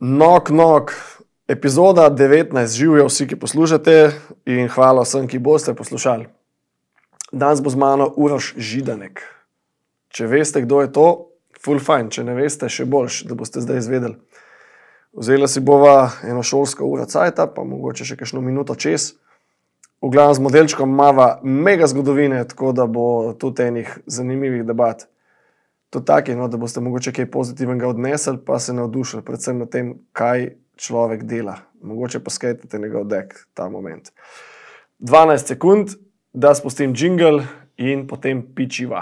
Nok, epizoda 19, živijo vsi, ki poslušate in hvala vsem, ki boste poslušali. Danes bo z mano Uroš Židanek. Če veste, kdo je to, ful fajn, če ne veste, še boljš, da boste zdaj izvedeli. Vzela si bova eno šolsko uro cajta, pa mogoče še kakšno minuto čez. V glavnem z modelčkom mava mega zgodovine, tako da bo tudi enih zanimivih debat. To taki, no, da boste mogoče kaj pozitivnega odnesli, pa se navdušili, predvsem na tem, kaj človek dela. Mogoče pa skajtate njegov dek ta moment. 12 sekund, da spustim džingl in potem pičiva.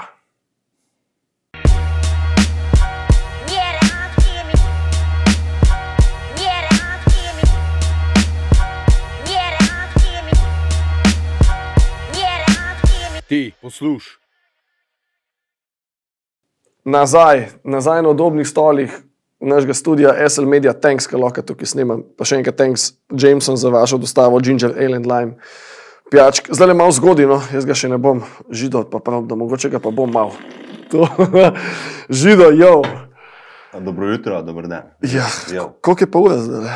Ti, posluš. Nazaj na udobnih stolih našega studia SL Media, thanks, ker lahko tukaj snemam. Pa še enkrat thanks Jameson za vašo dostavo Ginger Ale and Lime pijačk. Zdaj je malo zgodino, jaz ga še ne bom židal, pa prav, da mogoče ga pa bom malo. Žido, jo. Dobro jutro, dober dan. Ja, koliko je pa ura zdaj?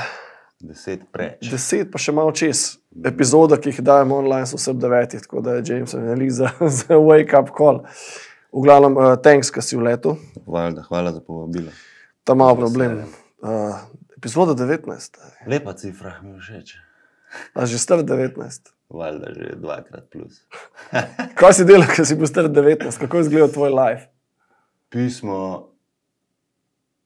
10 preč. 10 pa še malo čez. Epizoda, ki jih dajem online, so vse ob 9, tako da je Jameson za wake up call. V glavnem, thanks, ka si v letu. Hvala za povabilo. Ta malo problem. Epizoda 19. Lepa cifra, mi všeč. A že star 19. Valjda že 2x plus. Kaj si delal, ko si bil star 19? Kako je izgledal tvoj life? Pismo.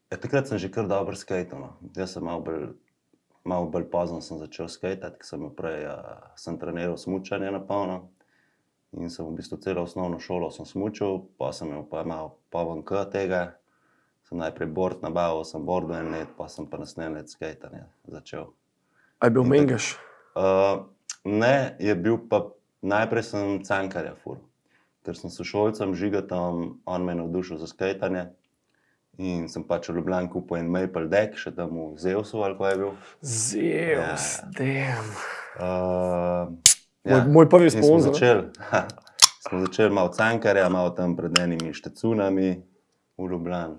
Takrat sem že kar dobro skejtal. No. Jaz sem malo bolj pozno sem začel skejtati, ker sem treniral smučanje na polno. In sem v bistvu celo osnovno šolo sem smučal, pa sem imel pa malo povenk tega. Sem najprej board nabavil, sem boardu en let, pa sem pa naslednji let skejtanje začel. A je bil mengaš? Ne, je bil pa, najprej sem Cankarja furil. Ker sem sošolcem Žigatom, on me je navdušil za skejtanje. In sem pač v Ljubljani kupil en Maple Deck, še tam v Zeusu, ali ko je bil. Zeus, damn. Ja. Moj prvi sponzor. Smo začeli malo Cankarja, malo tam pred enimi Štecunami v Ljubljani.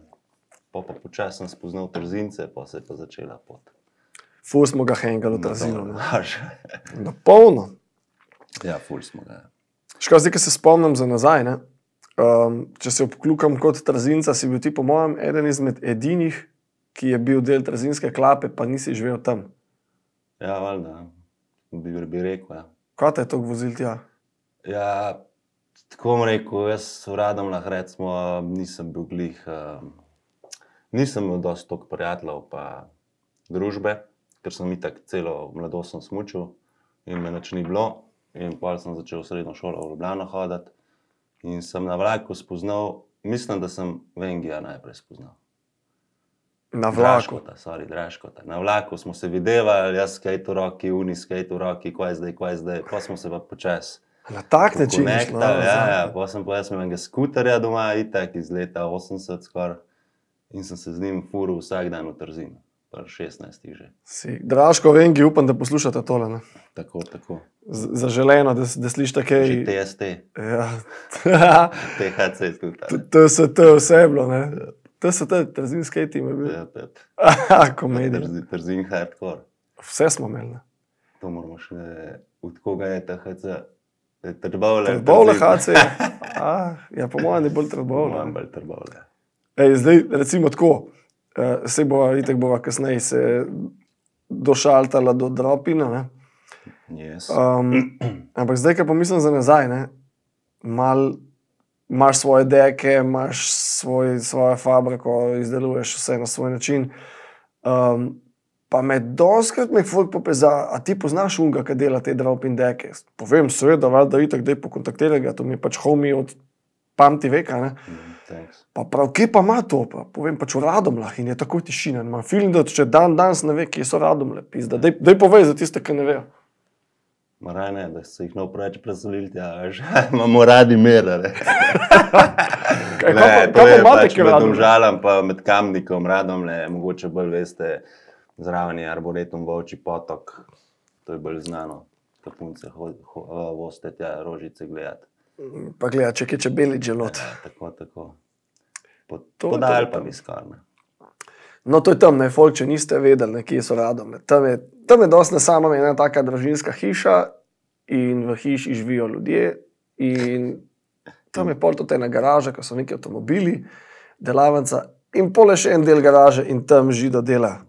Pa počasi sem spoznal Trzince, pa se je pa začela pot. Ful smo ga hengali v Trzinu. Na polno. Ja, ful smo ga. Škoda, zdaj, ko se spomnim za nazaj, ne? Če se obklukam kot Trzinca, si bil ti po mojem eden izmed edinih, ki je bil del Trzinske klape, pa nisi živel tam. Ja, valjda, bi rekel, ja. Kaj te je toliko vozil tja? Ja, tako bom rekel, jaz v Radomljah recimo nisem bil glih, nisem imel dosti toliko prijateljev pa družbe, ker sem itak celo mladost sem smučil in me nič ni bilo. In potem sem začel v srednjo šolo v Ljubljano hoditi in sem na vlaku spoznal, mislim, da sem Vengija najprej spoznal. Na vlaku? Draškota. Na vlaku smo se videvali, jaz skate v roki, uni skate v roki, kaj zdaj. Pa smo se pa počas na tak način išlo? Ja, pa sem pa jaz imel enega skuterja doma, itak iz leta 80 skoraj. In sem se z njim furil vsak dan v Trzinu. 16 že. Draško, Vengi, upam, da poslušate tole, ne? Tako. Zaželeno, da slišite kaj... Že TST. Ja. THC tudi. TST vse je bilo, ne? TST, Trzin skate team je bil. Ja. Komedija. Trzin hardcore. Vse smo imeli, ne? To moramo še, od koga je THC? Trbovle. Trbovle HC. Ja, po mojem je bolj Trbovle. Po mojem bolj Trbovle. Zdaj, recimo tako, se itak bova kasneje se došaltala do Dropina, ne? Yes. Ampak zdaj, ko pomislim za nazaj, ne? Imaš svoje deke, imaš svojo fabriko, izdeluješ vse na svoj način. Pa dostikrat me folk popeza, a ti poznaš unga, ki dela te Dropin deke? Povem, seveda, valjda itak, daj pokontaktiraj ga, to mi je pač homie od pamti veka, ne? Pa prav, kje pa ima to? Pa povem pač v Radomljah in je takoj tišina. Imam film, da če danes ne ve, kje so Radomlje, pizda. Daj povej za tiste, ki ne vejo. Maraj ne, da se jih ne preveč preselili tja, veš. Imamo radi mera, ne. Kaj pa imate, ki med Domžalam pa med Kamnikom, Radomlje, mogoče bolj veste, zraven je Arboretum Volčji potok. To je bolj znano, da punce voste tja Rožice gledati. Pa gleda, če je čebeli želod. Ja, tako. Podal pa mi skoraj. No, to je tam, ne, folk, če niste vedeli, kje so Radomlje. Tam je dosti samo ena taka družinska hiša in v hiši živijo ljudje in tam je pol tudi ena garaža, ko so neki avtomobili, delavnica in pol je še en del garaže in tam Žido dela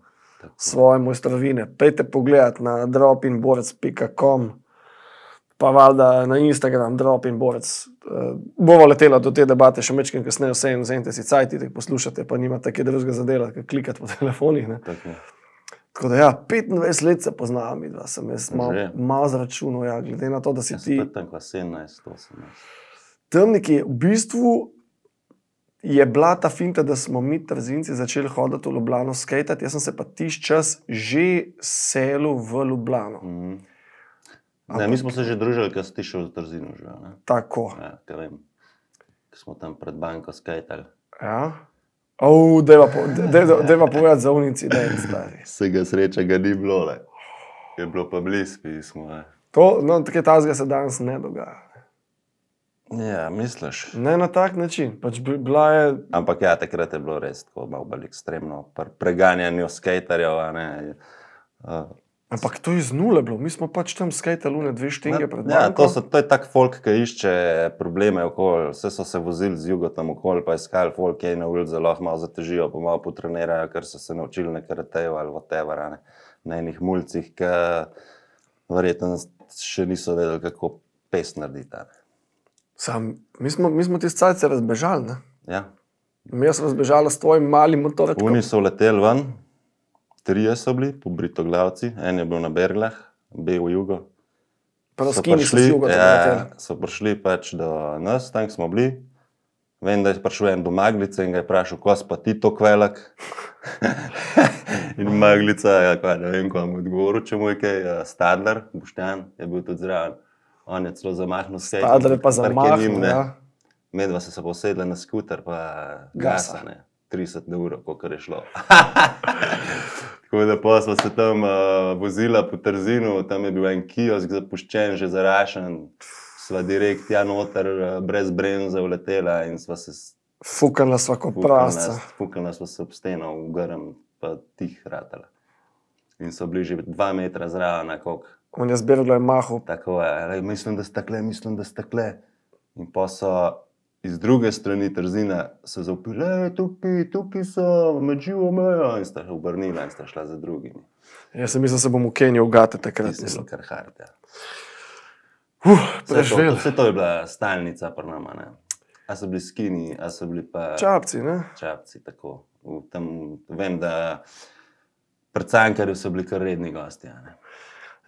svoje mojstrovine. Pejte pogledat na dropinborec.com pa valjda na Instagram dropinborec. Bova letela do te debate še mečkim kasneje, vsem vzemite si cajt, idite poslušate, pa nimate kaj drugega za delati, klikati po telefonih. Ne. Tako da ja, 25 let se poznam, midva, sem jaz malo zračunal, ja, glede na to, da si ti... Ja, sem tam 17, 18. Tam nekje, v bistvu je bila ta finta, da smo mi Trzinci začeli hoditi v Ljubljano skejtati, jaz sem se pa tiš čas že selil v Ljubljano. Ne, mi smo se že družili, ko si ti šel v Trzinu že, ne? Tako. Ja, kaj vem, ko smo tam pred banko skejtali. Ja? Dejva povedati za un incident, stari. Vsega sreča ga ni bilo, le. Je bilo pa bliz pismo, ne. To, no, tako tazga se danes ne dogaja. Ja, misliš? Ne na tak način, pač bila je... Ampak ja, takrat je bilo res tako malo bolj ekstremno, preganjanju skejtarjev, a ne. Ampak to je iz nule bilo, mi smo pač tam skejtali une 2 štinge pred Ja, banko. to je tak folk, ki išče probleme okoli, vse so se vozili z jugo tam okoli, pa iskali folk, ki na ulici lahko malo zatežijo, pa malo potrenirajo, ker so se naučili na karateju ali whatever, a ne. Na enih mulcih, ki verjetno še niso vedeli, kako pes narediti, a ne. Sam, mi smo tist cajt se razbežali, ne? Ja. Mi smo razbežali s tvojim malim motorčkom. Oni so leteli ven, 3 so bili, pobritoglavci, en je bil na Berglah, bil v jugo. Praskini so z jugo. So prišli pač do nas, tam smo bili. Vem, da je prišel en do Maglice in ga je vprašal, ko si pa ti tok velik? In Maglica, ja, kaj, ne vem, ko vam odgovoril, če mu je kaj, Stadler, Boštjan, je bil tudi zraven. On je celo zamahnil skejt. Stadler je pa zamahnil, ja. Medva se posedla na skuter, pa gasa, ne. 30 evrov, kolikor je šlo. Tako da pa smo se tam vozila po Trzinu, tam je bil en kiosk zapuščen, že zarašen. Sva direkt tja noter, brez brenza uletela in sva se... Fukala sva kot prasca. Fukala sva se ob steno, v grm, pa tih ratala. In so bili že 2 metra zraven, koliko. On je zberglo je mahal. Tako je, mislim, da sta kle. In pa so iz druge strani Trzina se zaupili, tukaj so, med živo mejo, in sta obrnila in sta šla za drugimi. Jaz sem mislil, se bom v Keniji ugate takrat. Mislim, kar hard, ja. Preživel. Vse to je bila stalnica pri nama, ne. A so bili skini, a so bili pa... Čapci, ne? Čapci, tako. Tam, vem, da pred Cankarju so bili kar redni gosti, ne.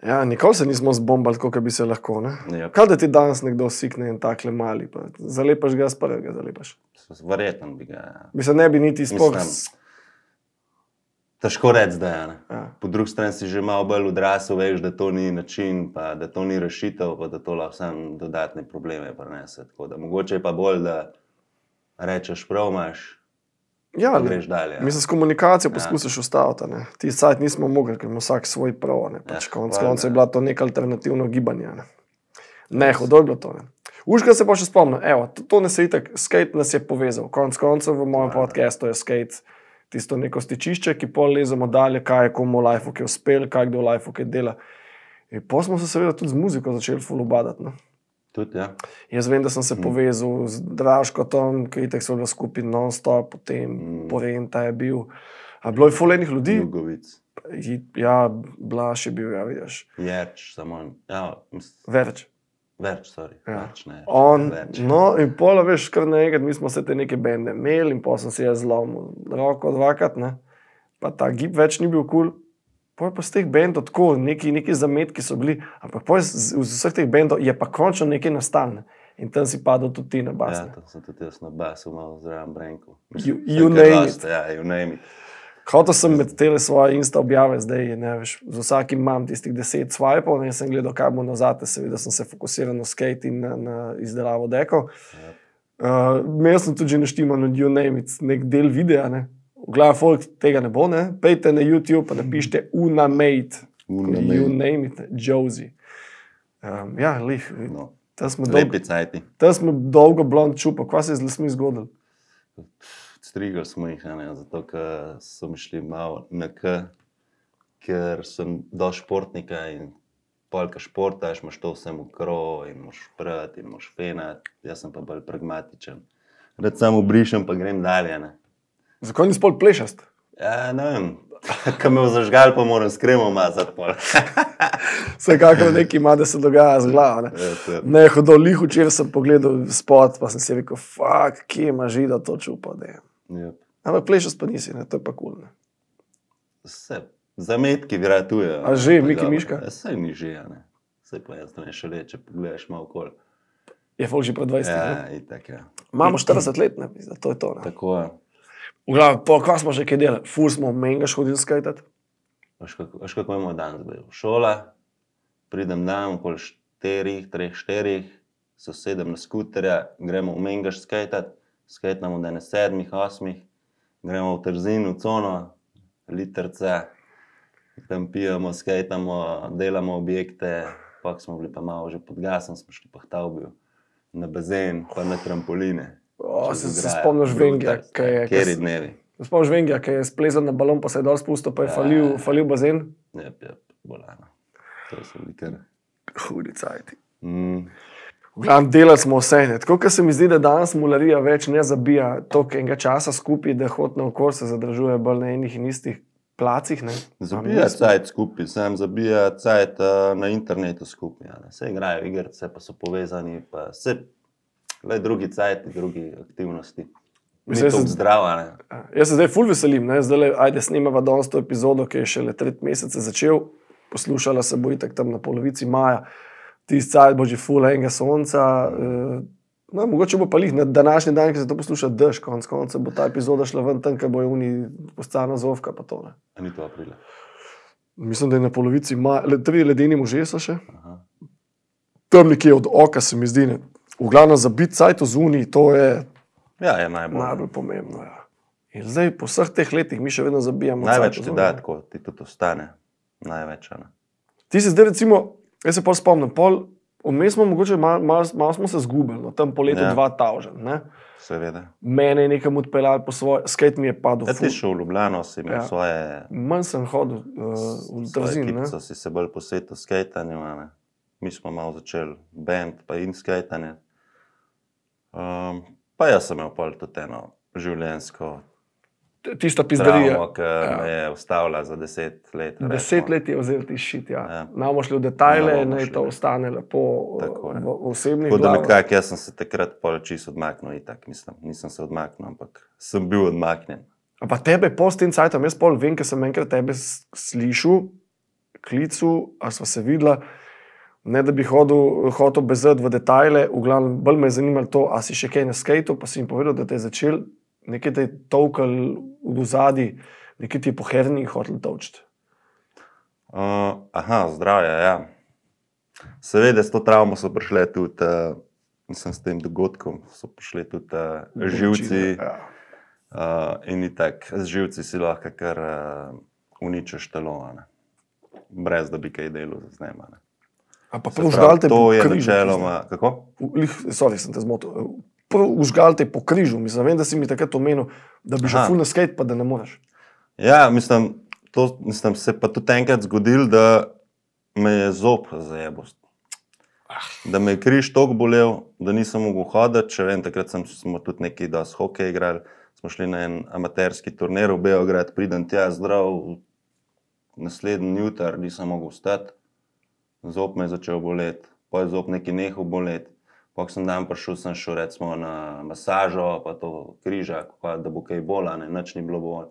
Ja, nikoli se nismo zbombali, kako bi se lahko, ne? Yep. Kaj da ti danes nekdo sikne in takle mali, pa zalepaš ga, z prvega zalepaš. Verjetno bi ga, ja. Bi se ne bi niti sploh... Težko reči zdaj, ne. Ja. Po drugi strani si že malo bolj odrasel, veš, da to ni način, pa da to ni rešitev, pa da to lahko samo dodatne probleme prinese. Tako da mogoče je pa bolj, da rečeš prav imaš, Ja, pa greš dalje. Ja. Mislim, s komunikacijo poskusiš ustaviti, ne. Ti sajt nismo mogli, ker ima vsak svoj prav, ne. Pač konec je bila to neka alternativno gibanje, ne. Ne, hudo je bilo to, ne. Uška se pa še spomnim, evo, to ne se itak, skate nas je povezal. Koncev v mojem podcastu je skate tisto neko stičišče, ki pol lezemo dalje, kaj je komu v lifeu, ki je uspel, kaj kdo v lifeu, kaj dela. In pol smo se seveda tudi z muziko začeli ful ubadati, ne. Tudi, ja. Jaz vem, da sem se povezal z Draškotom, ki itak so bili skupaj non-stop, potem Porenta je bil. A bilo je ful enih ljudi. Jugovic. Ja, Blaž je bil, ja, vidiš. Jerč, samo, ja, Verč. Verč, sorry. Ja. Verč, ne. On, Verč. no, in pola, veš, kar naenkrat, mi smo se te neke bende imeli in pol sem si jaz zlomil roko dvakrat, ne. Pa ta gib več ni bil kul. Pol pa z teh bendov tako, neki zametki so bili, ampak pol z vseh teh bendov je pa končno nekaj nastalo. In tam si padel tudi ti na bas. Ja, to sem tudi jaz na basu malo zraven Brenku. You name it. Ja, you name it. Hotel sem med tele svoje Insta objave zdaj, ne veš, z vsakim imam tistih 10 swipeov, ne, sem gledal, kaj bo nazate, seveda sem se fokusiral na skate in na izdelavo dekov. Imel sem tudi že naštiman od You name it, nek del videa, ne. V glavi folk tega ne bo, ne. Pejte na YouTube pa napišite Unamate. You name it, Josie. Ja, lih. No. Tam smo Lepi cajti. dolgo blond čupa. Kva se je z lasmi zgodilo? Strigali smo jih, zato ker so mi šli malo na K, ker sem do športnika in polka športaš, imaš to vsem v krov in moš prati in moš fenati. Jaz sem pa bolj pragmatičen. Rad samo brišem, pa grem dalje. Ne. Zakaj ni spol plešast? Ja, ne vem, ko me zažgal, pa moram s kremom mazati pol. Vsekakor nekaj ima, da se dogaja z glavo. Ne, hodo lih včeraj sem pogledal spot, pa sem si rekel, fuck, kje ima žida to čupa. Yep. Ampak plešast pa nisi, ne? To je pa kul. Vse, zametki vratujejo. A že, Miki Miška? Vse ni že, ne. Vse pa jaz ne še reče, pogledaš malo okoli. Je folk že pred 20. Ja, itak, ja. Imamo 40 let, ne, to je to. Ne? Tako je. V glavi, kva smo že kaj delali? Ful smo mengaš hodili skajtati. Veš kako je moj dan zdaj? Šola, pridem dan okoli 3-4, se sedem na skuterja, gremo v Mengaš skajtat, skajtamo do 7-8, gremo v Trzin, v cono, literce, tam pijemo, skajtamo, delamo objekte, pak smo bili pa malo že pod gasom, smo šli pa v Tavbiju, na bazen, pa na trampoline. Se spomniš Vengija, Kjeri dnevi. Spomniš Vengija, ki je splezal na balon, pa se je dol spustil, pa je falil bazen? Jep, bolano. To so bili kar hudi cajti. V glavnem delali smo vse. Tako, ker se mi zdi, da danes mularija več ne zabija toliko enega časa skupaj, da hod naokoli se zadržuje bolj na enih in istih placih. Ne? Zabija cajt skupaj, sam zabija cajt na internetu skupaj. Ja, se igrajo igrice, pa so povezani, pa se drugi cajti, drugi aktivnosti. Mi to zdrava, ne? Jaz se zdaj ful veselim, ne? Zdaj ajde snimava danes to epizodo, ki je šele 3 mesece začel. Poslušala se bo itak tam na polovici maja. Tisti cajt bo že ful enega sonca. No, mogoče bo pa lih na današnji dan, ki se to posluša dež, konc konca bo ta epizoda šla ven tam, ker bo je uni postana zovka pa to, ne. A ni to aprila? Mislim, da je na polovici maja, 3 ledeni može so še. Aha. Tam nekje od oka se mi zdi, ne. V glavnem za biti cajt z uni, to je, je najbolj pomembno. Ja. In zdaj po vseh teh letih mi še vedno zabijamo največ ti da, tako ti tudi ostane. Največ, ne. Ti si zdaj recimo, jaz se pol spomnim, vmes smo mogoče malo smo se zgubili, no, tam po letu 2000, ne? Seveda. Mene je nekam odpeljali po svoje, skate mi je padel. Ti šel v Ljubljano, si imel svoje... Manj sem hodil v Trzin, ne? Svoje si se bolj posvetil skatanju, ne? Mi smo malo začeli band, pa in skatanje. Pa jaz sem imel pol tudi eno življenjsko tista pizdarija, travmo, ki me je ustavila za 10 let. 10 let je vzel ti šit, ja. Namo šli v detajle, naj to ostane lepo v osebnih glavah. glavah. Nekako, jaz sem se takrat pol čisto odmaknil, itak, mislim, nisem se odmaknil, ampak sem bil odmaknjen. A pa tebe po s tem cajtom, jaz pol vem, ker sem enkrat tebe slišal, klicu, a sva se videla, ne da bi hotel bezati v detajle, v glavnem bolj me je zanimalo to, a si še kaj na skejtu, pa si jim povedal, da te je začel, nekaj te je tolkal v zadnji, nekaj ti je po herni hotel tolčiti. Zdravje, ja. Seveda s to travmo so prišle tudi, mislim, s tem dogodkom, so prišli tudi živci. In itak, z živci si lahko kar uničiš telo, ne. Brez da bi kaj delal z njema, ne. A pa užgal te po križu. To je načeloma, kako? Sorry, sem te zmotil. Užgal te po križu, mislim, vem, da si mi takrat omenil, da bi že ful na skate, pa da ne moreš. Ja, mislim, se pa tudi enkrat zgodil, da me je zob zajebal. Da me je križ toliko bolel, da nisem mogel hoditi, še vem, takrat smo tudi neki dosti hokej igrali, smo šli na en amaterski turnir v Beograd, pridem tja zdrav, naslednji jutar nisem mogel vstati. Zob me je začel boleti, pa je zob neki nehal boleti. Pak sem dan prišel, sem šel recimo na masažo, pa to križa, da bo kaj bola, ne, nič ni bilo bolj.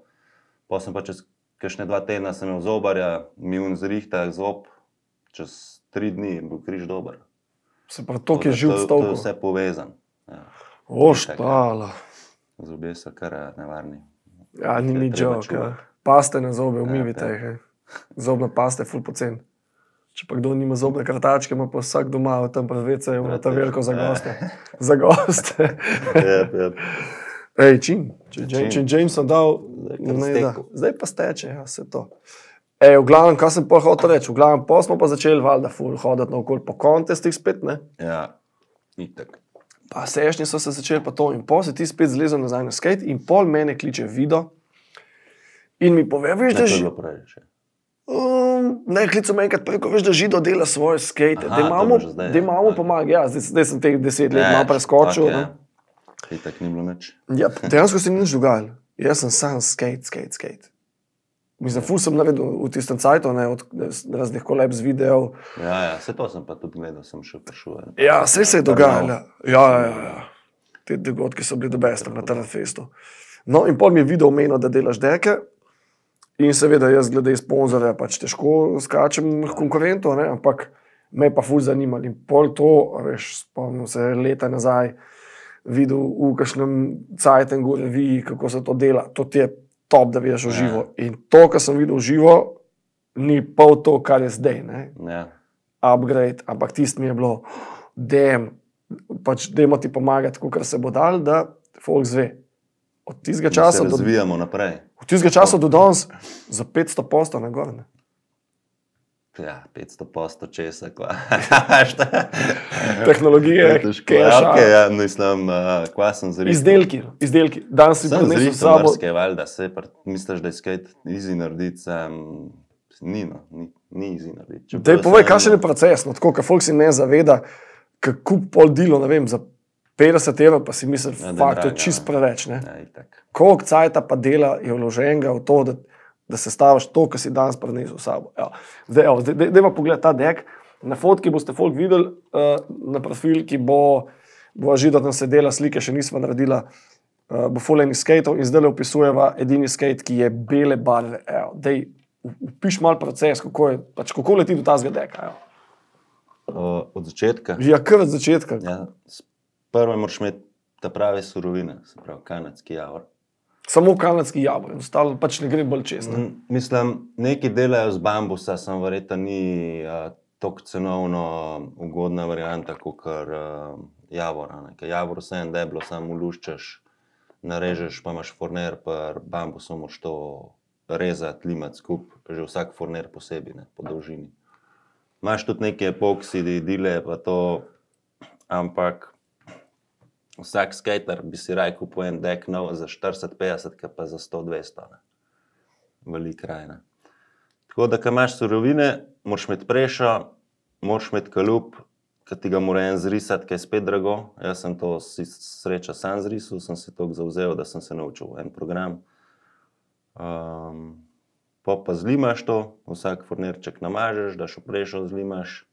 Pa sem pa čez kakšne 2 tedna sem imel zobarja, mi zrihta zob, čez 3 dni je bil križ dober. Se pa to, ki je živ stolko. To je vse povezan. Ja. Oštala. Zobje so kar nevarni. Ja, ni joke, ja. Paste na zobe, umivite jih. Zobna pasta je ful pocen. Če pa kdo nima zobne krtačke, ima pa vsak doma, tam pa veca je ta veliko za goste. Za goste. Ej, če Jameson dal, zdaj pa steče, ja, vse to. Ej, v glavnem, kaj sem pol hotel reči, v glavnem, pol smo pa začeli valjda ful hoditi naokoli po kontestih spet, ne? Ja, itak. pa sešnji so se začeli pa to in pol se ti spet zlezel nazaj na skate in pol mene kliče Vido in mi pove, veš, Ne, da to je že... bilo prej že. Ne, klical me enkrat preko, veš, da Žido dela svoje skate, Aha, da to imamo, bo že zdaj, da imamo ja. pomaga, ja, zdaj sem teh 10 let malo preskočil. tako je. Ne. Itak ni bilo nič. Ja, dejansko se ni nič dogajalo. Jaz sem sam skate. Mislim, ful sem naredil v tistem cajtu, ne, od raznih kolab z videov. Ja, vse to sem pa tudi gledal, sem še prišel. Ja, vse se je dogajalo. Ja. Te dogodki so bili dobesti na Terrafestu. No, in pol mi je Video omenil, da delaš deke. In seveda jaz glede sponzorja pač težko skačem konkurentov, ne, ampak me je pa ful zanimalo. In pol to, veš, spomnim se leta nazaj, videl v kakšnem cajtengu reviji, kako se to dela. To ti je top, da vidiš v živo. In to, kar sem videl v živo, ni pol to, kar je zdaj, ne. Ja. Upgrade, ampak tisto mi je bilo, pač dajmo ti pomagati, kakor se bo dal, da folk zve. Od tistega Da časa se razvijamo naprej. Od tistega časa do danes za 500 postov na gor. Ja, 500% česa, kva. Tehnologije, keša, Okay, ja, mislim, kva sem zrisal. izdelki. Danes si Sem prinesel s zrisal sabo. mrske, valjda, misliš, da je skate easy narediti, ni easy narediti. Dej povej, kakšen je proces, no, tako, ker folk si ne zaveda, kako pol dilo, ne vem, za 50 €, pa si misli, Ja, da je fakt, to je draga, čist preveč, ne. Ja, itak. Koliko cajta pa dela je vloženega v to, da se staviš to, kar si danes prinesel s sabo. Zdaj dajmo pogledati ta dek. Na fotki boste folk videli, na profil, ki bo Žido tam sedela, slike še nismo naredila, bo fulejnih skateov in zdaj le opisujeva edini skate, ki je bele barve. Dej, upiš mal proces, kako leti do tazga deka. Od začetka. Ja, kar od začetka. Ja, prvo moraš imeti ta prave surovine, se pravi kanadski javor. Samo kanadski javor, ostalo pač ne gre bolj čez. Ne? Mislim, neki delajo z bambusa, sem verjetno ni tako cenovno ugodna varianta kot javora. Ker javor vse en deblo, samo luščeš, narežeš, pa imaš forner, pa bambusom moraš to rezati, limati skup, že vsak forner posebej, ne, po dolžini. Imaš tudi neke epoksidi, dile, pa to, ampak vsak skater bi si raj kupil en dek nov za 40-50, pa za 100-200. Velik raj. Ne. Tako da, ko imaš surovine, moraš imeti prešo, moraš imeti kalup, ki ti ga mora en zrisati, ki je spet drago. Jaz sem to sreča sam zrisal, sem se toliko zavzel, da sem se naučil en program. Pa zlimaš to, vsak fornerček namažeš, daš v prešo, zlimaš,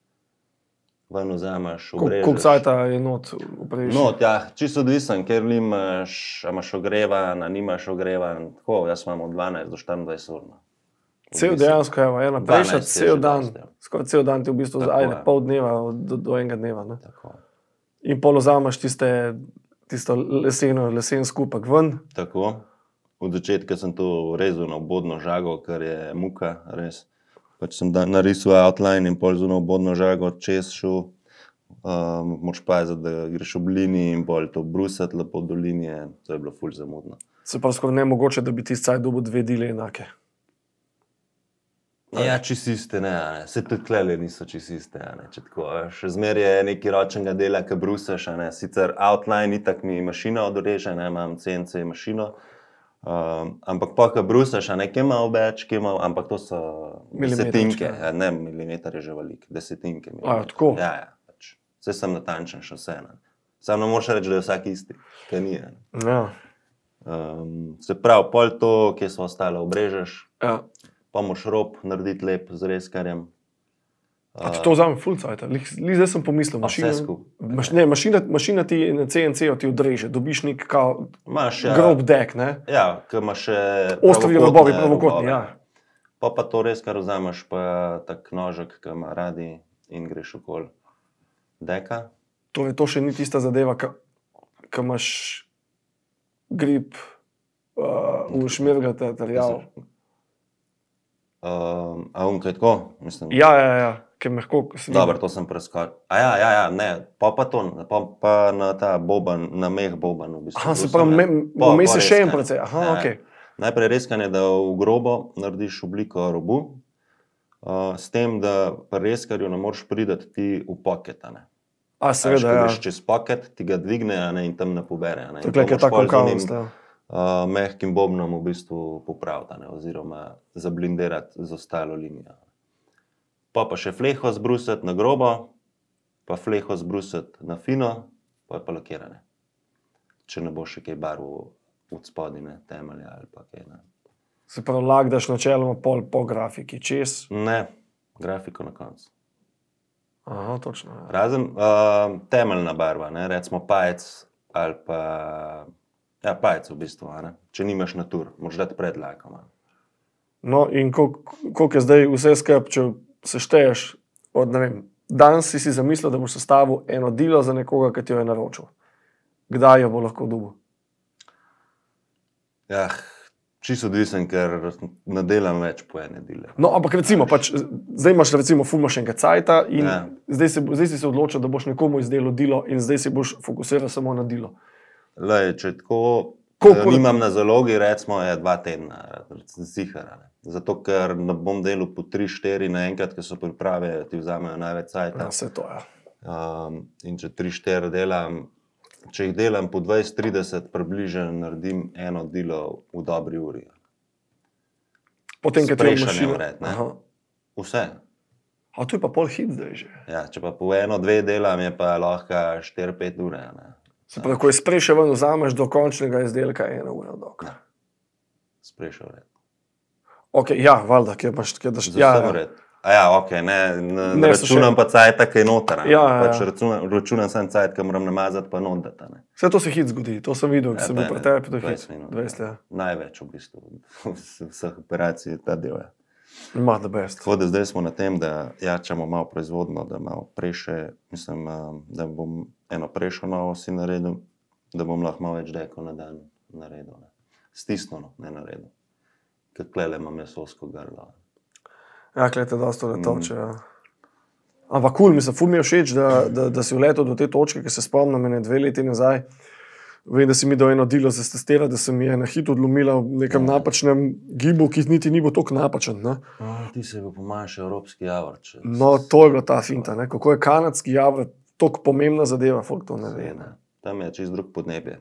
ven vzameš, obrežeš. Koliko cajta je not v prejšnji? Not, ja, čisto odvisen, ker limaš, a imaš ogrevan, a nimaš ogrevan. Tako, jaz imam od 12 do 24 ur. Cel dejansko, evo, ena prejšnja, 12 je cel že dan, dosti, ja. skoraj cel dan ti v bistvu, Tako ajde, je. pol dneva do enega dneva. Ne? Tako. In pol vzameš tisto lesen skupek ven. Tako. Od začetka sem to rezal na obodno žago, kar je muka, res. Pač sem narisal outline in pol z ono obodno žago čez šel. Moraš paziti, da greš ob liniji in bolj to brusati lepo do linije. To je bilo ful zamudno. Se pravi skoraj nemogoče, da bi ti cajt dobil 2 dile enake. Ja, čisto iste, ne. Se tudi tlele niso čisto iste, ne. Če tako, še zmeraj je nekaj ročnega dela, ki brusaš, ne. Sicer outline itak mi mašina odreže, ne, imam CNC mašino. Ampak pa, ko brusaš, ne, kje malo več, kje malo, ampak to so desetinke, ne, milimeter je že velik, desetinke. Tako? Ja, pač. Vse sem natančen še vse, ne. Samo ne moreš reči, da je vsak isti, ker ni, ne. Ja. Se pravi, pol to, kje so ostale, obrežeš, Ja. pa moraš rob narediti lep z rezkarjem. A ti to vzame ful cajta? Zdaj sem pomislil, Vse skupaj. mašina ti na CNC-ju ti odreže, dobiš nek kao Imaš, grob dek, ne? Ja, ki imaš še Ostri robovi, pravokotni, ja. Pa to res, kar vzameš, pa tak nožek, ki ima radi in greš okoli deka. Torej, to še ni tista zadeva, ki imaš grip v šmirgata terjav. A kaj tako? Mislim, Ja, ki je mehko. dobro, to sem preskočil. Ja, ne, pa to, pa na ta boban, na meh boban v bistvu. Aha, se pravi, vmes je še en precej. Aha, okej. Najprej reskanje, da v grobo narediš obliko robu, s tem, da pri reskarju ne moreš priti ti v pocket, ne. A seveda, ja. Greš čez pocket, ti ga dvigne, a ne, in tam ne pobere. A ne. To je In to moraš tako pol z onim, kaos. mehkim bobnom v bistvu popraviti, a ne, oziroma zablindirati z ostalo linijo. Pa še fleho zbrusiti na grobo, pa fleho zbrusiti na fino, pa lakirane. Če ne boš še kaj barvo od spodine, temelja ali pa kaj. Ne. Se pravi, lak daš načeloma pol po grafiki, čez? Ne, grafiko na koncu. Aha, točno. Ja. Razen temeljna barva, ne, recimo pajec ali pa, ja, pajec v bistvu, a ne. Če nimaš natur, moraš dati pred lakom. No in koliko je zdaj vse skup, če sešteješ od, ne vem, danes si zamislil, da boš sestavil eno dilo za nekoga, ki ti jo je naročil. Kdaj jo bo lahko dobil? Ja, čisto odvisen, ker ne delam več po ene dile. No, ampak recimo, zdaj imaš recimo ful imaš enega cajta in Ja. zdaj si se odločil, da boš nekomu izdelal dilo in zdaj si boš fokusiral samo na dilo. Lej, če tako Koliko- nimam na zalogi, recimo je 2 tedna, zihar. Zato, ker ne bom delal po 3-4 naenkrat, ker so priprave, ti vzamejo največ cajta. Ja, vse to, ja. In če 3-4 delam, če jih delam po 20-30, približno naredim eno dilo v dobri uri. Potem, ko ti je Sprejšanje mašina. vred, ne. Aha. Vse. A to je pa pol hit zdaj že. Ja, če pa po 1-2 delam, je pa lahko 4-5 ure. Ne. Se pravi, ko je spreše ven vzameš do končnega izdelka 1 ura dok. Sprejšal vred. Ok, ja, valjda, kjer daš, Za vse vred. A ja, ok, ne računam pa cajta, ki je noter. Ja, Pač ja. računam sam cajt, ki moram namazati pa notati. Vse to se hit zgodi, to sem videl, ko Ja, sem bil to je pri tebi, to je 20 hit. minut, 20, ja. Največ v bistvu vseh operacij je ta del. Ja. Ima the best. Tako da zdaj smo na tem, da jačamo malo proizvodno, da malo preše, mislim, da bom eno prešo novo si naredil, da bom lahko malo več dekov na dan naredil. Ne. Stisnjeno, ne naredil. Ker klele imam mesosko grlo. Ja, klete dosto letoče, ja. Ampak kul, mislim, ful mi je všeč, da si vletel do te točke, ki se spomnim, ene 2 leti nazaj. Vem, da si mi dal eno dilo za testira, da se mi je na hit odlomila v nekem napačnem gibu, ki niti ni bil toliko napačen. Ne? Ti se je bil po manjši evropski javor. No, to je bila ta finta, ne? Kako je kanadski javor toliko pomembna zadeva, folk to ne ve. Ne? Tam je čist drug podnebje.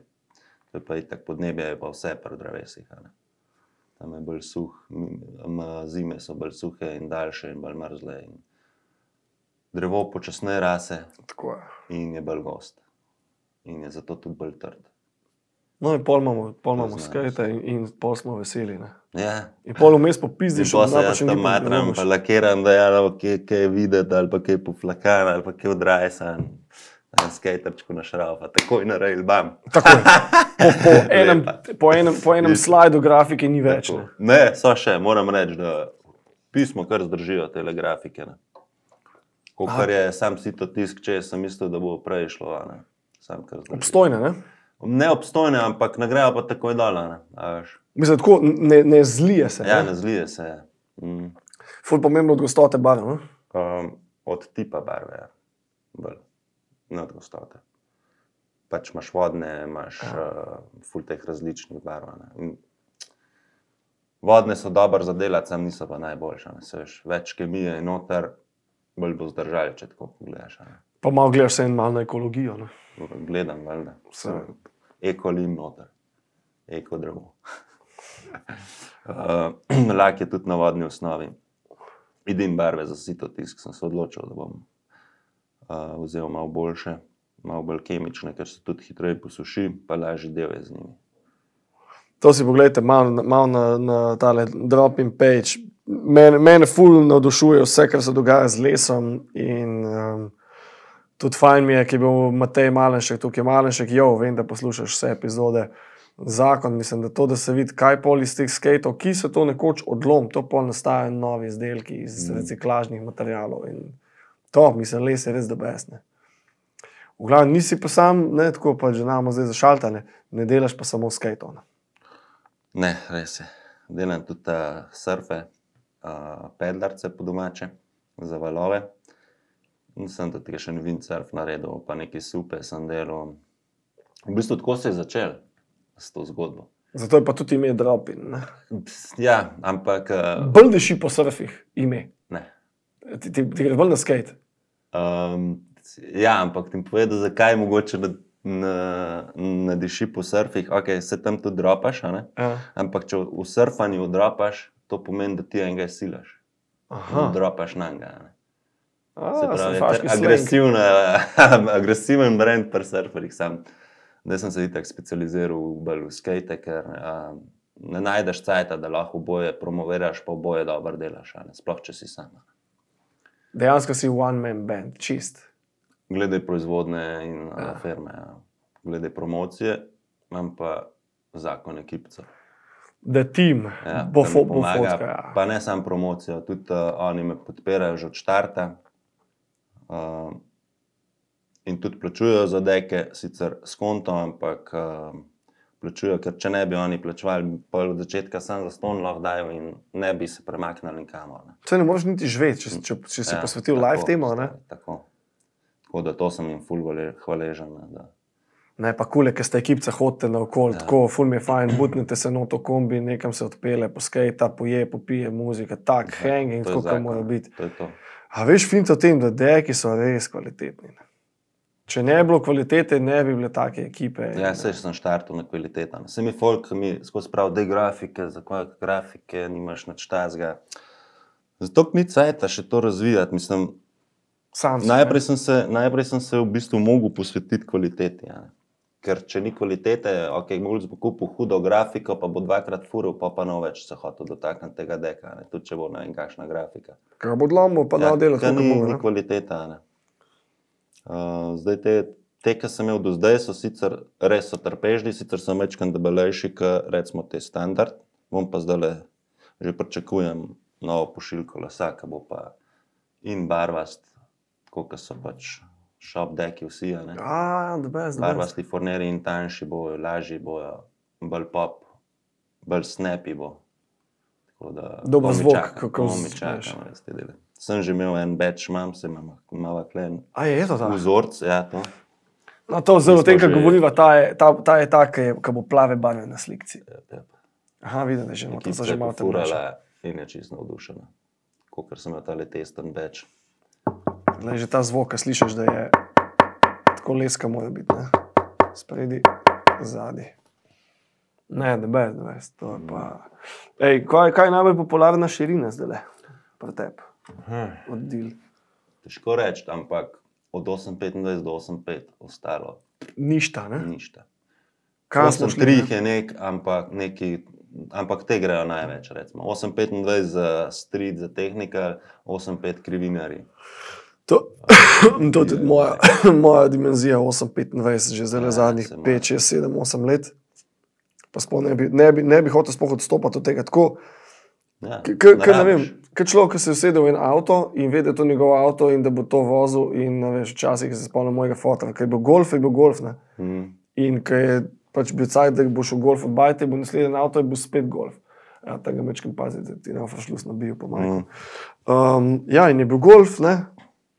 To je pa itak podnebje, je pa vse pri drevesih. Ne? Tam je bolj suh, zime so bolj suhe in daljše in bolj mrzle. In drevo počasneje rase Tako je. in je bolj gost. In je zato tudi bolj trd. No in pol imamo znaš. skate in pol smo veseli. Ne? Ja. In pol vmes In popizdiš, pa se jaz napačen tam gib matram, pa lakiram, da je kaj je videti, ali pa kaj poflakan, ali pa kaj odrajsan. Skaterčku na šraufa, takoj na rail, bam. Takoj. Po enem slajdu grafike ni več. Ne? Ne, so še, moram reči, da pismo kar zdržijo tele grafike. Ne. Kar je sam sito tisk, če sem mislil, da bo prej šlo. Ne. Sam kar zdržijo. Obstojne, ne? Ne obstojne, ampak ne grejo pa takoj dol. Mislim, tako ne zlije se. Ja, ne? ne zlije se. Ful pomembno od gostote barve. Od tipa barve, ja. Bolj. Ne od gostote. Pač imaš vodne, imaš ful teh različnih barv. Ne. Vodne so dober za delati, sam niso pa najboljše. Več kemije je noter, bolj bo zdržali, če tako pogledaš. Ne. Pa malo gledaš se en malo na ekologijo. Ne? Gledam, valjda. Eko-lim noter. Eko-drevo. Lak je tudi na vodni osnovi. Vidim barve za sito tisk, sem se odločil, da bom vzel malo boljše, malo bolj kemične, ker se tudi hitreje posuši, pa lažje del je z njimi. To si pogledajte malo na tale drop-in page. Mene ful navdušuje vse, kar se dogaja z lesom in tudi fajn mi je, ki je bil Matej Malenšek, tukaj Malenšek, vem, da poslušaš vse epizode. Zakon, mislim, da to, da se vidi, kaj pol iz teh skatov, ki se to nekoč odlom, to pol nastajajo novi izdelki iz reciklažnih materialov in to, mislim, les je res the best. Ne. V glavnem, nisi pa sam, ne, tako pa že namo zdaj zašaltane, ne delaš pa samo skatov. Ne, res je. Delam tudi surfe, pedlarce po domače, za valove. Nisem tudi še windsurf naredil, pa neki supe sem delal. V bistvu tako se je začel s to zgodbo. Zato je pa tudi ime drop-in. Ne. Ja, ampak... Bolj deši po surfih ime. Ne. Ti gre bolj na skate. Ja, ampak ti povedal, zakaj mogoče na diši po surfih, ok, se tam tudi dropaš, a ne? Ja. Ampak če v surfanju dropaš, to pomeni, da ti enega silaš. Aha. Dropaš na njega, a ne? Se Sem pravi, faški agresiven brand pri surferjih sam. Da sem se itak specializiral bolj v skate, ker ne najdeš cajta, da lahko oboje promoviraš, pa oboje dobro delaš, a ne? Sploh, če si sam. Dejansko si one man band, čist. Glede proizvodne in firme, ja. Glede promocije, imam pa zakon ekipca. Da tim bo pomaga, fotka. Ja. pa ne samo promocijo, tudi oni me podpirajo že od štarta. In tudi plačujejo za deke, sicer s kontom, ampak plačujejo, ker če ne bi oni plačevali, pol od začetka sam za ston lahko dajo in ne bi se premaknili nikamor. Če ne moreš niti živeti, če si posvetil live temu, ne? Tako da to sem jim ful hvaležen. Da. Ne, pa kule, ker ste ekipca hodite naokoli, tako, ful mi je fajn, butnete se noto kombi, nekam se odpele, poskejta, poje, popije muzika, tak, hanging, tako kot mora biti. To je to. A veš, finta v tem, da deki so res kvalitetni. Ne? Če ne bi bilo kvalitete, ne bi bile take ekipe. Ja, saj sem štartil na kvaliteta. Se mi folk, mi skozi prav, dej grafike, za koje grafike, nimaš nič tazga. Zato ni cajta še to razvijati, mislim, najprej sem se v bistvu mogel posvetiti kvaliteti, ja. Ker če ni kvalitete, ok, Mulc bo kupil hudo grafiko, pa bo dvakrat furil, pa no več se hotel dotakniti tega deka, ne. Tudi če bo ne vem kakšna grafika. Kaj bo dlomil, pa da delati, kako bo. Ni kvaliteta, ne. Zdaj te, ki sem imel do zdaj, so sicer res so trpežni, sicer so mečkan debelejši, recimo te standard, bom pa zdajle že pričakujem novo pošiljko lesa, ki bo pa in barvast, koliko so pač shop deki vsi, ne. Barvasti forneri in tanjši bojo, lažji bojo, bolj pop, bolj snappy bo. Dober zvok, kako mi čakam, res te dele. Sem že imel en batch, se imam malo klen. Je to ta? Vzorc, ja, to. No, to zelo tem, kar govoriva, ta je ta, ki bo plave barve na slikci. Aha, vidim, da že imamo, to so že malo furala in je čisto navdušena. Kakor sem imel tale testen batch. Glej, že ta zvok, ki slišiš, da je tako leska mora biti, ne? Spredi, zadnji. Ne, the best, to je pa... Ej, kaj je najbolj popularna širina zdajle pri tebi? Oddil. Težko reči, ampak od 8,25 do 8,5 ostalo. Ništa, ne? Ništa. 8,3 je ampak te grejo največ, recimo. 8,25 za street, za technical, 8,5 krivinari. To je tudi moja dimenzija, 8,25, že zdaj zadnjih 5, 6, 7, 8 let. Pa sploh ne bi hotel sploh odstopati od tega tako. Ja, ne vem, kaj človek, ki se je usedel v en avto in ve, da je to njegov avto in da bo to vozil in veš, včasih se spomnim mojega fotra, ker je bil golf, ne. In ker je pač bil cajt, da boš v golf odbajte, bo naslednji avto in bo spet golf. Ja, tega mečkam paziti, da ti ne ofrašlus nabijo po majku. Ja, in je bil golf, ne.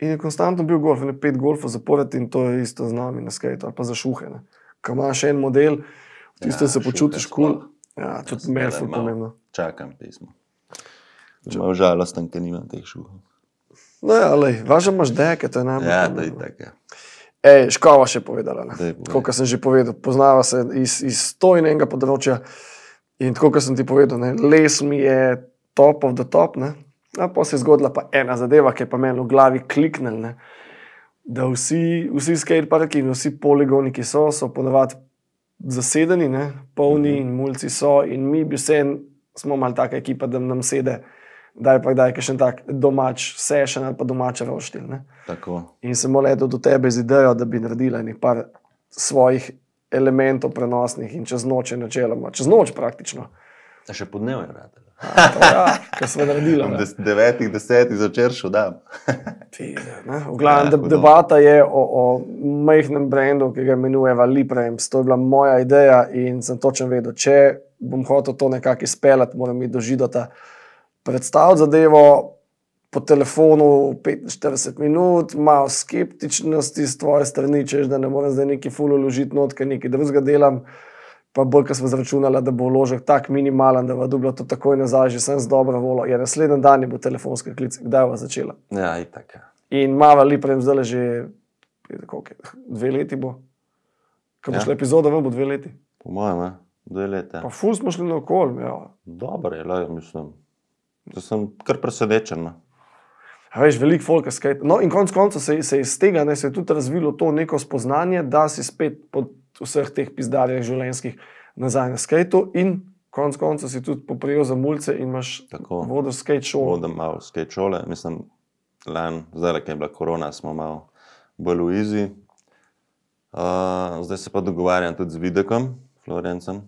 In je konstantno bil golf, in je 5 golfov zapored in to je isto z nami na skate ali pa za šuhe, ne. Ko imaš en model, tisto se počutiš kul. Ja, tudi meni je pomembno. Čakam pismo. Malo žalosten, ker nimam teh šuhov. No ja, lej, važno imaš deke, to je najbolj. Ja, to je tako. Ej, Škova še povedala, ne. Tako, kot sem že povedal, poznava se iz to in enega področja in tako, kot sem ti povedal, ne, les mi je top of the top, ne. A pa se je zgodila pa ena zadeva, ki je pa meni v glavi kliknil, ne. Da vsi skateparki in vsi poligoni, ki so ponavadi zasedeni, ne, polni in mulci so in mi bi smo malo taka ekipa, da nam sede daj kakšen tak domač session ali pa domač roštilj, ne. Tako. In sem letel do tebe z idejo, da bi naredila enih par svojih elementov prenosnih in čez noč je načeloma, čez noč praktično. A še po dnevu je vratila. Ja, kar smo naredila. 9:10 začer šel dan. V glavnem, debata je o majhnem brandu, ki ga imenujeva Liprems. To je bila moja ideja in sem točno vedel, če bom hotel to nekako izpeljati, moram iti do Židota, predstaviti zadevo po telefonu 45 minut, malo skeptičnosti z tvoje strani, češ, da ne morem zdaj neki ful vložiti not, ker nekaj drugega delam, pa bolj, ker smo zračunala, da bo vložek tak minimalen, da bo dobila to takoj nazaj, že sem z dobro voljo. Ja, naslednji dan je bo telefonska klic, kdaj bo začela. Ja, itak. In mava Liprems zdaj že koliko je, 2 leti bo. Ko bo Ja. šla epizoda, bo 2 leti. Po mojem, 2 leti. Pa ful smo šli naokoli, ja. Dobro je, mislim. Da sem kar presenečen. No. A veš, veliko folka skate. No in konec konca se je iz tega se je tudi razvilo to neko spoznanje, da si spet po vseh teh pizdarjah življenjskih nazaj na skateu in konec konca si tudi poprijel za mulce in imaš Tako. vodil skate šolo. Vodim malo skate šole, mislim, zdaj, ko je bila korona, smo malo bolj v easy. Zdaj se pa dogovarjam tudi z Videkom, Florencem,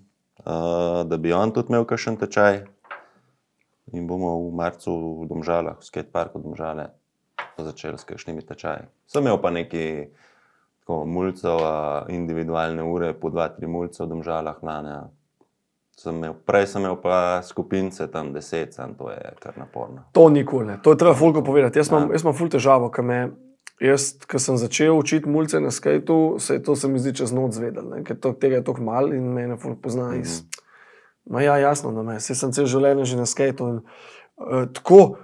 da bi on tudi imel kakšen tečaj. In bomo v marcu v Domžalah, v skateparku Domžale, začeli s kakšnimi tečaji. Sem imel pa nekaj mulcev, individualne ure, po 2-3 mulce v Domžalah lani. Prej sem imel pa skupince, tam 10, to je kar naporno. To nikoli ne, to je treba folko povedati. Jaz imam ful težavo, ko sem začel učiti mulce na skateu, se mi zdi čez noč zvedel, ne? Ker tega je toliko malo in mene ful pozna iz... Ma ja, jasno, da me, sem cel življenje že na skateu. Tako,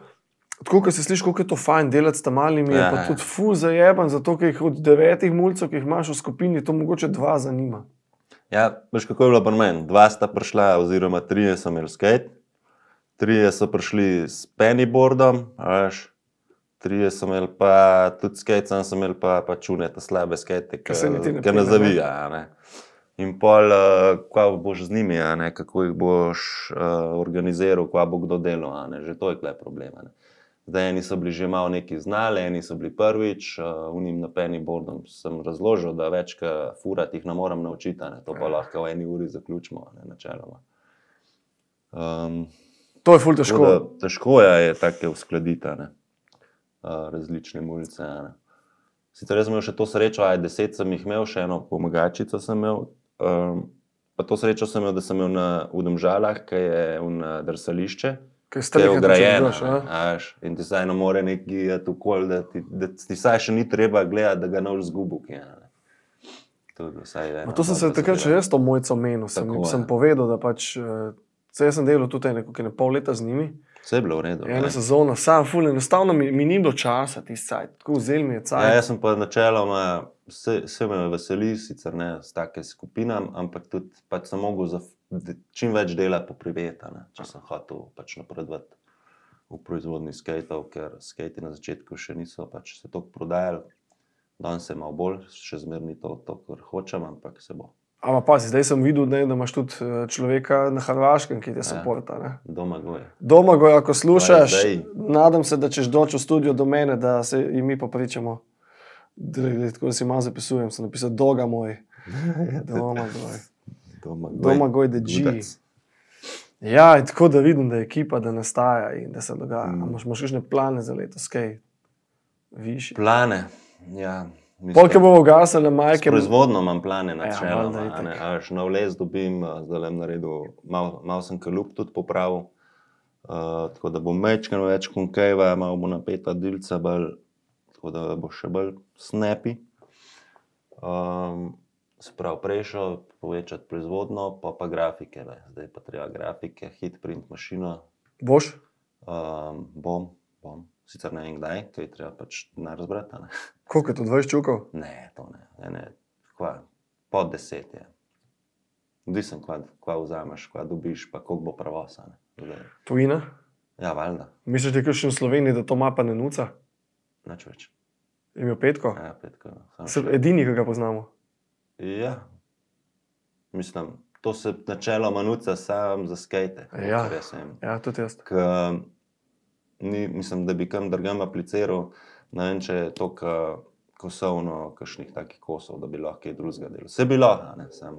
ko se sliši, koliko je to fajn delati s tam malimi, je pa tudi ful zajeban, zato ker jih od 9 mulcev, ki jih imaš v skupini, to mogoče 2 zanima. Ja, veš, kako je bilo pri meni? 2 sta prišla, oziroma 3 so imeli skate, 3 so prišli s pennyboardom, veš, 3 so imeli pa tudi skate, sem imel pa čune, ta slabe skate, ki ne zavija, ne. In pol, kva boš z njimi, ne, kako jih boš organiziral, kva bo kdo delal, ne, že to je tukaj problem. Ne. Zdaj, eni so bili že malo neki znali, eni so bili prvič, unim na pennyboardom sem razložil, da več furati jih ne moram naučiti, ne, to pa lahko v 1 uri zaključimo, ne, načeloma. To je ful težko. Težko je take uskladiti, ne, različne mulce, ne. Sicer jaz sem imel še to srečo, 10 sem jih imel, še eno pomagačico sem imel, pa to srečo sem imel, da sem imel v Domžalah, ki je drsališče, ki je ugrajeno, in ti saj ne more neki okoli, da ti saj še ni treba gledati, da ga ne boš zgubil. To sem se takrat še jaz to mojco menil, sem povedal, da pač, jaz sem delal tudi pol leta z njimi. Vse je bilo v redu. Ena sezona, sam ful, enostavno mi ni bilo časa tisti cajt, tako vzel mi je cajt. Ja, jaz sem pa načeloma, vse me veseli, sicer ne s take skupinam, ampak tudi pač sem mogel čim več dela popriveti, če sem hotel pač napredovati v proizvodni skateov, ker skati na začetku še niso pač se toliko prodajali. Danes se malo bolj, še zmeraj ni to, kar hočem, ampak se bo. Ampak pazi, zdaj sem videl, da imaš tudi človeka na Hrvaškem, ki te supporta. Ne? Domagoj, ako slušaš, nadam se, da češ doći v studio do mene, da se i mi popričamo. Tako da si malo zapisujem, sem napisal Doga moj. Domagoj the G. Ja, in tako da vidim, da je ekipa, da nastaja in da se dogaja. Imaš kakšne plane za letos, kaj višji? Plane, ja. Polke bomo gasali majke. S proizvodno imam plane načeloma, nov les dobim, zdaj le naredil, malo sem kalup tudi popravil, tako da bom mečkano več konkejva, malo bo napeta dilca bolj, tako da bo še bolj snappy. Se pravi, prejšel povečati proizvodno, pa grafike, zdaj pa treba grafike, hit print mašino. Boš? Bom. Sicer ne vem kdaj, to je treba pač denar zbrati, ne. Koliko je to, 20 čukov? Ne, to ne. Pod 10 je. Odvisno, kva vzameš, kva dobiš, pa koliko bo pravosa, ne. Tujina? Ja, valjda. Misliš, da je kakšen v Sloveniji, da to mapa ne nuca? Nič več. Je imel Petko? Ja, Petko. Edini, ki ga poznamo? Ja. Mislim, to se načeloma nuca sam za skate. Ja, tudi jaz. Mislim, da bi kam drugam apliciral, ne vem, če je to kosovno, kakšnih takih kosov, da bi lahko kaj drugega delal. Vse bi lahko, ne, sam.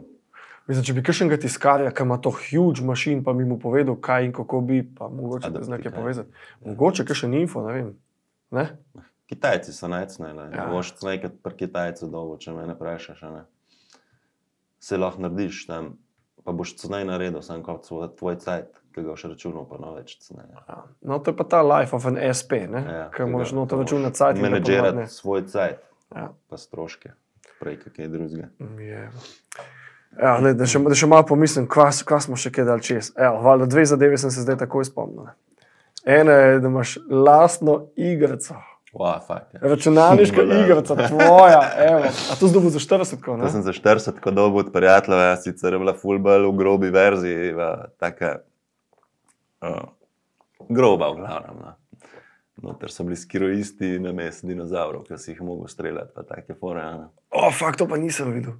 Mislim, če bi kakšnega tiskarja, ki ima to huge mašin, pa bi mu povedal, kaj in kako bi, pa mogoče da znak je povezati. Mogoče kakšen info, ne vem. Ne? Kitajci so najcnej, ne. Boš nekaj pri Kitajcu dolgo, če me ne vprašaš, ne. Se lahko narediš tam, pa boš cenej naredil, sam kot tvoj cajt, ki ga boš računal, pa no več cenej. No, to je pa ta life of an SP, ne? Ker moraš noto računati cajt. Menedžerati svoj cajt, pa stroške, prej kakaj drugega. Ja, da še malo pomislim, kva smo še kaj dal čez. Valjda 2 zadeve sem se zdaj takoj spomnil. Ena je, da imaš lastno igrico. Fuck, ja. Računalniška igrica, tvoja, evo. A to zdaj bo za 40, ko, To ne? sem za 40 dobil od prijateljev, ja, sicer je bila ful bolj v grobi verziji, taka groba v glavnem. No. Noter so bili skiroisti namesto dinozavrov, ki si jih mogel streljati, pa take fore. Ja. Fakt, to pa nisem videl.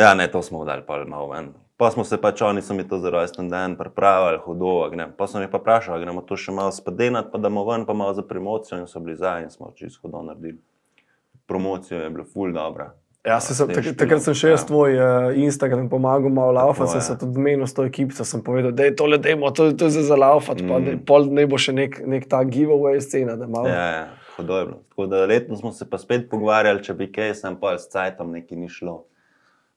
Ja, ne, to smo dali pa malo ven. Pa smo se pač, oni so mi to za rojsten dan pripravili, hudo, pa sem jih pa vprašal, gremo to še malo spadenati, pa damo ven, pa malo za promocijo in so bili za in smo čisto hudo naredili. Promocijo je bila ful dobra. Ja, takrat sem še jaz tvoj Instagram pomagal malo laufati, sem je. se tudi menil s to ekipico, sem povedal, da je tole demo, to je zdaj za laufati, pa pol ne bo še nek ta giveaway scena, da malo. Ja, hudo je bilo. Tako da letno smo se pa spet pogovarjali, če bi kaj, sem pa s cajtom nekaj ni šlo.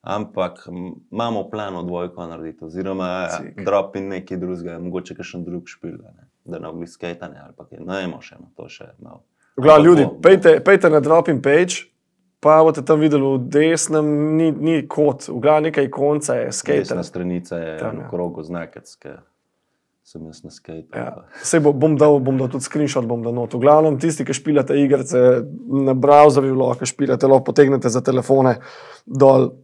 Ampak imamo v planu dvojko narediti, oziroma drop in nekaj drugega, mogoče kakšen drug špil, da ne obli skejtanje ali pa kaj. No, imamo še, no, to še malo. Gleda, ljudi, pejte na drop-in page, pa boste tam videli v desnem, ni kot, v glavu nekaj konca je skater. Desna stranica je Tam, v ja. krogu znakec, ki sem jaz na skejtu. Ja. Sej bom dal tudi screenshot, bom dal not. V glavnem tisti, ki špilate igrice na browserju, lahko špilate, lahko potegnete za telefone dol.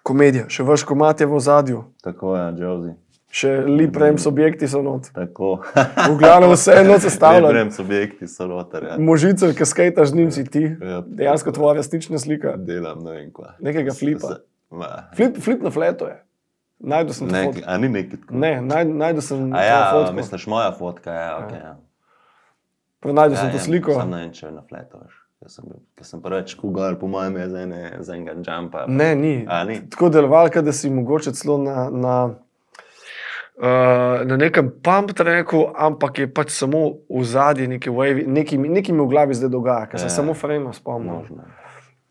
Komedija, še vaš komat je v ozadju, Tako je, Josie. še Lip Rems objekti so not. Tako. V glavnem vse eno sestavljeno. Lebrem subjekti so noter, ja. Možice, ki skejtaš z njim si ti, Ja. dejansko tvoja resnična slika. Delam, ne vem kva. Nekega flipa. Ma, Flip na fleto je. Najdu sem to fotko. a ni nekaj tako. Ne, najdu sem A ja, to fotko. misliš moja fotka, ja, okej. Ja. Najdu sem to sliko. Sam ne vem, če je na fletu, veš. Ker sem preveč kugal, po mojem je z enega jumpa. Ne, ni. A, ni? Tako deloval, da si mogoče celo na nekem pump tracku, ampak je pač samo v zadnji neki wave, nekaj mi v glavi zdaj dogaja, ker sem samo frame spomnil. Možno.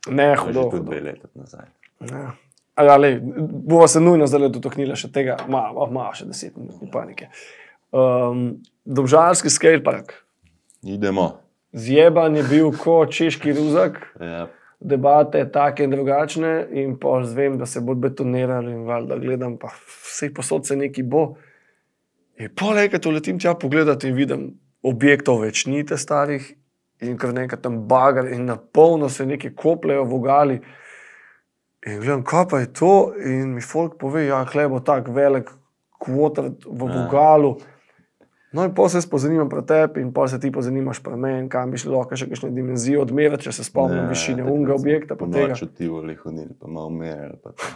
Ne, To je že hudo. tudi 2 leta nazaj. Ja. Ja, lej, bova se nujno zdaj dotaknila še tega, malo še 10 minut, ni panike. Domžalski skatepark. Idemo. Zjeban je bil kot češki ruzak, Ja. debate take in drugačne in pa zvem, da se bo betonirali in valjda gledam, pa vse posod se nekaj bo. In pol enkrat letim tja pogledati in vidim, objektov več ni te starih in kar nekaj tam bagar in na polno se nekaj kopljejo vogali. In gledam, kaj pa je to? In mi folk pove, ja, hle bo tak velik kvotrat v vogalu. No in potem se pozanimam pre tebi in potem se ti pozanimaš pre meni, kam bi šli lahko še kakšne dimenzije odmerati, če se spomnim višine unga objekta. Pa tega. Noč otivali hodili, pa malo merili. Pa to.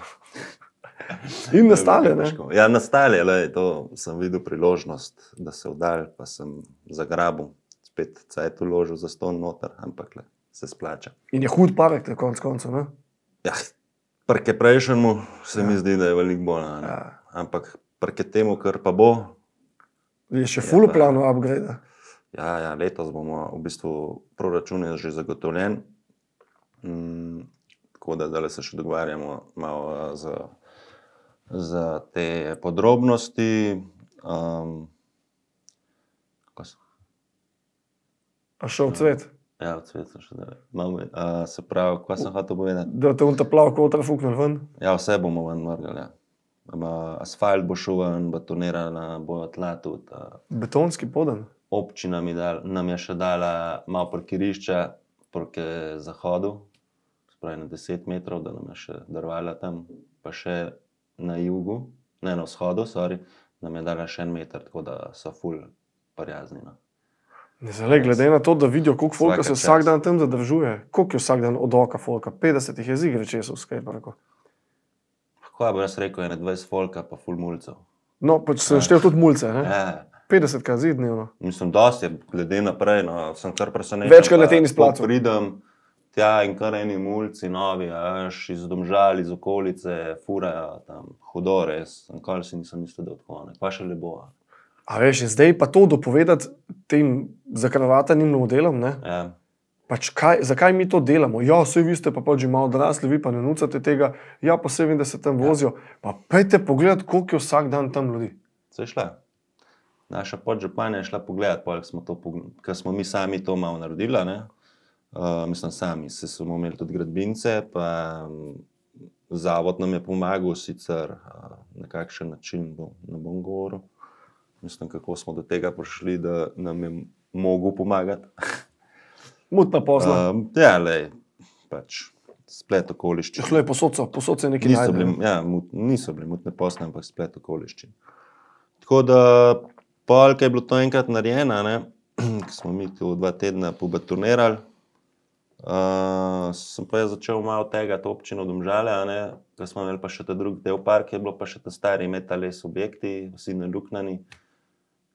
In nastale, ne? Ja, nastale, lej, to sem videl priložnost, da se vdal, pa sem zagrabil, spet cajt uložil za ston noter, ampak le, se splača. In je hud parek, te konc koncev, ne? Ja, prke prejšnjemu se mi zdi, da je veliko bolj, ne? Ja. Ampak prke temu, kar pa bo, Je še full v planu upgrade. ja, letos bomo v bistvu proračun je že zagotovljen, tako da zdaj se še dogovarjamo malo za te podrobnosti. A šel v cvet? Ja, v cvetu še zdaj. Se pravi, kaj sem hotel povedati? Da te unta plav kotra fuknil ven? Ja, vse bomo ven vrgali, ja. Asfalt bo šel ven, betonirana bo tla tudi. Betonski poden. Občina nam je še dala malo parkirišča proti zahodu, spravi na 10 metrov, da nam je še darvala tam, pa še na jugu, ne na vzhodu, nam je dala še 1 meter, tako da so ful prijazni. No. Zdaj, glede na to, da vidijo, koliko folka se Vsaka vsak čast. dan tam zadržuje, koliko je vsak dan od oka folka, 50 jih je zigre česov v skateparku. Kaj bo jaz rekel, je 20 folka pa ful mulcev. No, pač sem štel tudi mulce, ne? Ja. 50 krat dnevno. Mislim, dosti je glede naprej, no, sem kar presenečen. Večkrat na pa tenis placu. ko pridem tja in kar eni mulci novi, iz Domžal, iz okolice, furajo tam, hudo res, nikoli si nisem mislil, da odhone, pa še lepo. A veš, in zdaj pa to dopovedati tem zakrvatanim modelom, ne? Ja. Pač zakaj mi to delamo? Ja, vse vi ste pa pač že malo odrasli, vi pa ne nucate tega, ja, pa se vem, da se tam vozijo. Pa pejte pogledat, koliko je vsak dan tam ljudi. Se je šla. Naša podžupanja je šla pogledat, ker smo mi sami to malo naredili, ne? Mislim, sami smo imeli tudi gradbince, pa zavod nam je pomagal sicer na kakšen način, ne bom govoril. Mislim, kako smo do tega prišli, da nam je mogel pomagati. Mutna posla. Ja, lej, pač splet okoliščin. Hlej, posod se nekaj Niso najde. bili, ja, niso bili mutne posle, ampak splet okoliščin. Tako da, polk je bilo to enkrat narejeno, ne, ko smo mi tu 2 tedna pobaturnirali, sem pa jaz začel malo tegati občino Domžale, a ne, ko smo imeli pa še ta drugi del park, je bilo pa še ta stari metales objekti, vsi naluknjani.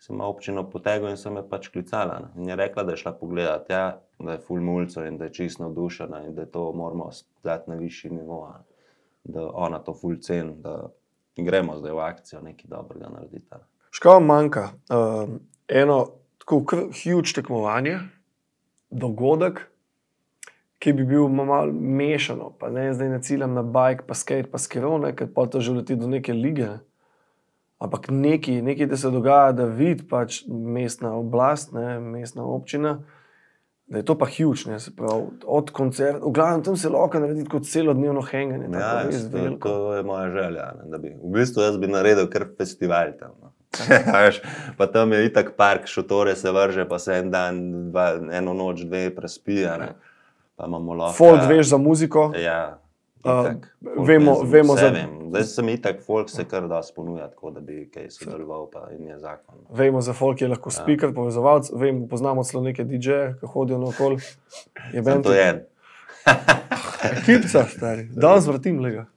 Sem malo občino potegal in sem me pač klicala. Ne. In je rekla, da je šla pogledat, ja, da je ful mulco in da je čisto navdušena in da je to moramo dati na višji nivo, da ona to ful ceni, da gremo zdaj v akcijo nekaj dobrega narediti. Škoda manjka eno tako huge tekmovanje, dogodek, ki bi bil malo mešano, pa ne, zdaj ne ciljam na bike, pa skate, pa skiro, ker pa to že leti do neke lige, ne. Ampak nekaj, da se dogaja, da vidi pač mestna oblast, ne, mestna občina, da je to pa huge, ne, se pravi, od koncerta, v glavnem tam se lahko narediti kot celodnevno henganje. Ja, to je moja želja, ne, da bi, v bistvu jaz bi naredil kar festival tam. No. Pa tam je itak park, šotore se vrže, pa se en dan, eno noč, 2 prespija, ne. Pa imamo lahko... Folk veš za muziko. Ja. Itak, vemo za... Zdaj sem itak, folk se kar dosti ponuja, tako da bi kaj sodeloval, pa in je zakon. Vemo za folk, je lahko speaker, povezovalc, poznamo celo neke DJ-je, ki hodijo naokoli. Sem to en. Ekipca, stari. Danes vrtim, lega.